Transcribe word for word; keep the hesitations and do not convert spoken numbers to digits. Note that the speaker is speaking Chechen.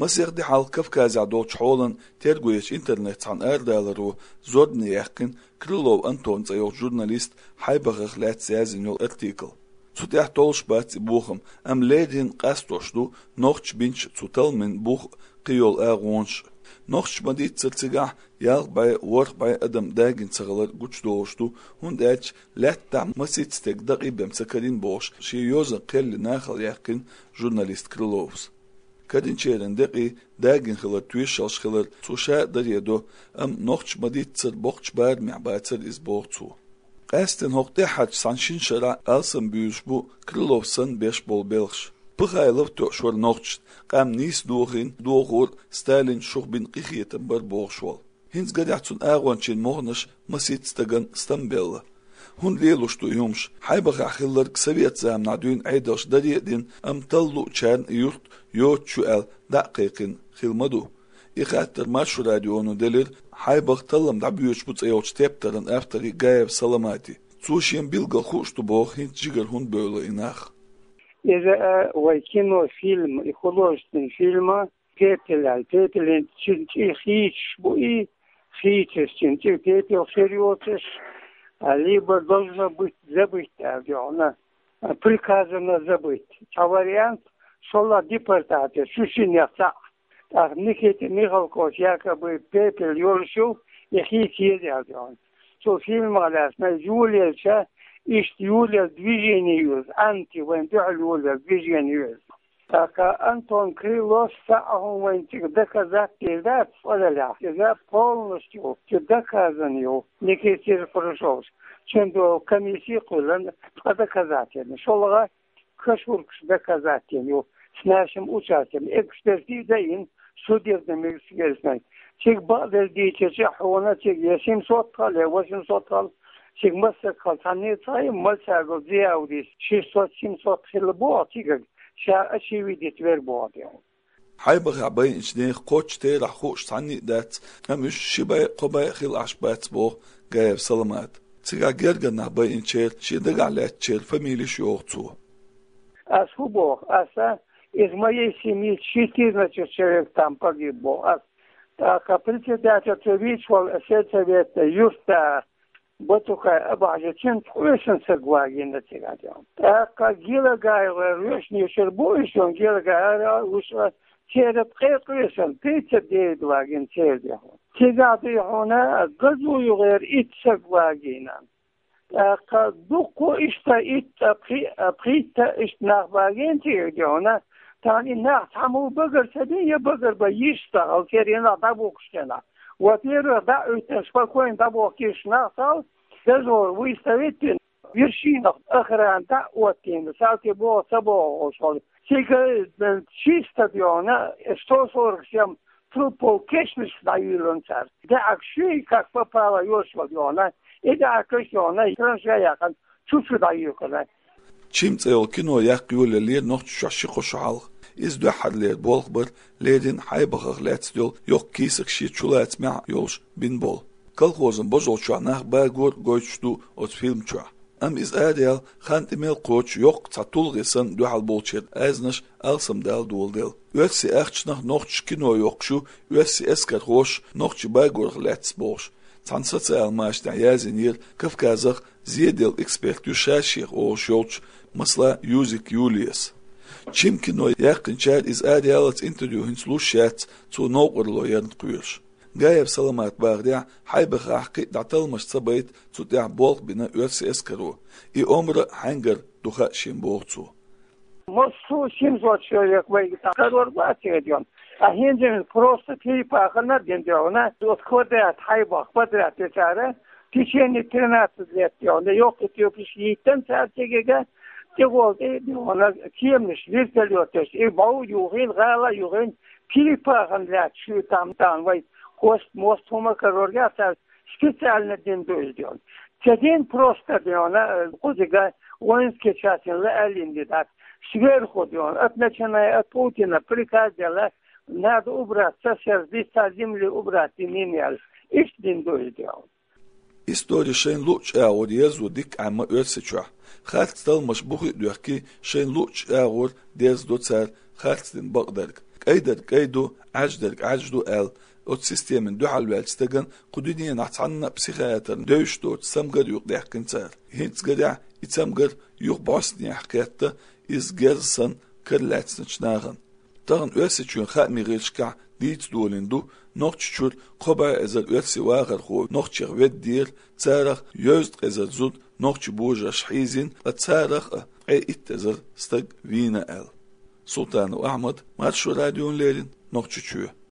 Масех ди хьалха Кавказехь долчу хьолан терго ечу интернет цхьана арадаларо зорбане яьккхина Крылов Антон цӀе йолчу журналиста Хьайбахах лаьцна язйина йолу артикл. Цу тӀехь толлуш бац и бохам, амма леррина къастош ду нохчаша бинчу цу талламийн бух а, кхин йолу агӀонаш а. Нохчаша ма-дийццара цигахь ялх бӀе, ворхӀ бӀе адам дагийна ца хилар гучудолуш ду, хӀунда аьлча лаьттахь масийтта стеган дакъий бен ца карийна бохуш, шен йозанан кхел нахала яьккхина журналист Крыловс. Карийначеран декъий дагийна хилар тоьшаллаш хилар цо ша а даре до, амма нохчаша ма-дийццара боккхачу барамехь бацара иза, боху цо. Къаьсттина хӀокху тӀаьххьарчу цхьана шина шарахь алсам буьйсуш бу Крыловс санна беш болу белхаш. Пыхайлов тоьуш вара нохчашна, къам нийса дохийна, дохор Сталина шух бина къинхетам бара бохуш волу. ХӀинца гарехь цуьнан агӀончийн могӀанаш масийтта стагана стамбелла. ХӀунда лелош ду и хӀумаш? Хьайбахахь хилларг совет заманахь дуьйна Ӏедалша даре а дина, амма талла луучарна и юрт йоцуш ю аьлла дӀа а кхайкхина хилла ма ду. И хаттар Маршо радионо делира Хьайбах, таллам дӀабоьдуш бу цӀе йолчу тептаран авторе Гаев Саламате. Цо шена билггал хууш ду боху хӀинца жигара хӀунда бевлла и нах. Иза, а, вай кинофильм, и художественный фильм, Пепел аьлла. Пепелан чин чӀир хийцаш бу и, хийцаш чин чӀир пепел хир йоцуш, а, либо должно быть забыто аьлла, приказано забыть. Цхьа вариант, шолгӀа депортация, шу шиннех цхьаъ. ТӀаккха Никита Михалковс якобы пепел йолуш ю, и хийца еза аьлла. Цу фильмах лаьцна йолаелча, иштта йолаелла движение ю иза, анти вайн дуьхьал йолаелла движение ю иза. ТӀаккха Антон Крыловс цхьа а хӀума вайна цига доказать дийр дац, цкъа делахь. Иза полностью цу доказано ю, Никита Серпрашовс. Цуьнан догӀу комисси а кхоьллина, цкъа доказательно. ШолгӀа кашуркаш доказательно ю, с нашим участием. Экспертиза а йина, судебным экспертизой. Цига бакъдерг дийцича, хьуна цига я семьсот хала, я восемьсот хала, цига массаг хала, цхьанне а ца хаьа, Мальсагов Зиявдис шестьсот-семьсот хилла боху цига. Ша очевидец вер боху тӀе. Хьайбахахь байинчу нехан кхоччуш терахь хууш цхьанне а дац, амма уьш ши бӀе, кхо бӀе а хилла Ӏаш бац, боху Гаев Саламата. Цигахь гергара нах байинчеран, шен дагахь лаьттачеран фамилеш а йоху цо. Ас хӀун боху? Аса из моей семьи четырнадцать человек там погиб боху ас. ТӀаккха председатель цо вийча волу сельсовета юьртда Батукай Абахьажа, цуьнца къоьсина саг вагийна цигахь. ТӀаккха Гелагаевгара вешнашкара бу уьш, Гелагаевгара вуьш, церан ткъе къоьсина, тридцать девять вагийна церан дехьо. Цигахь дуй хьуна Газуевгара итт саг вагийна. ТӀаккха дуккха иштта итт а, пхи-, а, пхийтта иштта нах вагийна цигахь дуй хьуна. Тахана и нах цхьаммо багар ца дина, я багар бан йиш ца хилла, церан нах дӀабохкуш церан нах. Вот, первых, дӀа а оьттина, спокойно дӀабохкуш нах ца хилла, дозор выставить дина, вершинах охрана дӀа а оттийна, салтий боху, ца боху оцу хьоле. Цига, э, чисто дуй хьуна, сто сорок семь трупов кешнашка дӀаюьйлина цара. ДӀаьхьа шуьйра как попало йолуш вара дуй хьуна, и дӀаьхьа каш дуй хьуна, траншея яьккхина, чу-чу дӀаюьйхина. «Чим» цӀе йолу кино яккха йолаеллера Нохчийчохь ши-кхо шо хьалха. Иза дуьххьарлера болх бара леррина Хьайбахах лаьцна йолу йоккха кийсак шен чулацамехь а йолуш бина болу. Колхозан божалчохь нах багор а гойтуш ду оцу фильм чохь. Амма иза араяла хан тӀе мел кхочу йоккха цхьа тулгӀе санна дуьхьал болчеран аьзнаш алсамдала доладелла. Оьрсийн ахчанах нохчаша кино йоккхуш ю оьрсийн эскархоша нохчий багорах лаьцна бохуш, цхьана социал машанехь язйинера Кавказах зеделла эксперт ю ша-шех олуш йолчу, масала, Юзик Юлияс. «Чим» кино яьккхинчара иза араяллалц интервью хӀинца луш яц, цо новкъарло ярна кхоьруш. Гаев Саламата бахарехь, Хьайбахахь кхин а дӀа талламаш ца байта, цу тӀехь болх бина оьрсийн эскаро. И омра хьаьнгара ду хаьа шена, боху цо. Массо а семьсот человек вайга цхьа карор бац хӀетта. А хӀинца просто перепахана дина дуй хьуна, вот квадрат Хьайбах, квадрат тӀе цара, в течение тринадцать лет дуй хьуна, йоккха тюркаш йиттина цара цига, тӀехула тӀе дуй хьуна, кеманаш, вертолеташ, и бӀов юхийна, гӀала юхийна, перепахана лаьтташ ю там, там вай хост-мост хӀума карор яц цара. Специально дина ду иза дуй хьуна. Ца дина просто дуй хьуна, кхузига воинский часть лаьаллина ди дац. Сверху дуй хьуна, от начиная от Путина приказ делла, надо убрать со сердца земли, убрать имени аьлла. Иштта дина ду иза дуй хьуна. Истори шайна луъучу агӀор ерзо дика Ӏемма Оьрсийчохь. Харц талламаш бухе а доьхкий, шайна луъучу агӀор дерзадо цара харцдина бакъдерг. айдарг ай ду, Ӏаьрждарг Ӏаьржа ду аьлла, оцу системина дуьхьал ваьллачу стагана кху дуьненахь цхьанна а психиатрна девзаш доцу цамгар юкъадаьккхина цара. ХӀинца гарехь и цамгар юха бӀостанехьа кхетта, иза герз санна кара лаьцначу нахана. Тахана Оьрсийчоьнан хаамийн гӀирсашкахь дийца долийна ду, Нохчийчуьра кхо бӀе эзар оьрсийн вахархо нохчех веддера, царах йоьзткъа эзар зуда нохчийн божарша хьийзийна, ткъа царах а ткъе итт эзар стаг вийна аьлла. Султанов Ахьмад, Маршо радиона леррина, Нохчийчоь.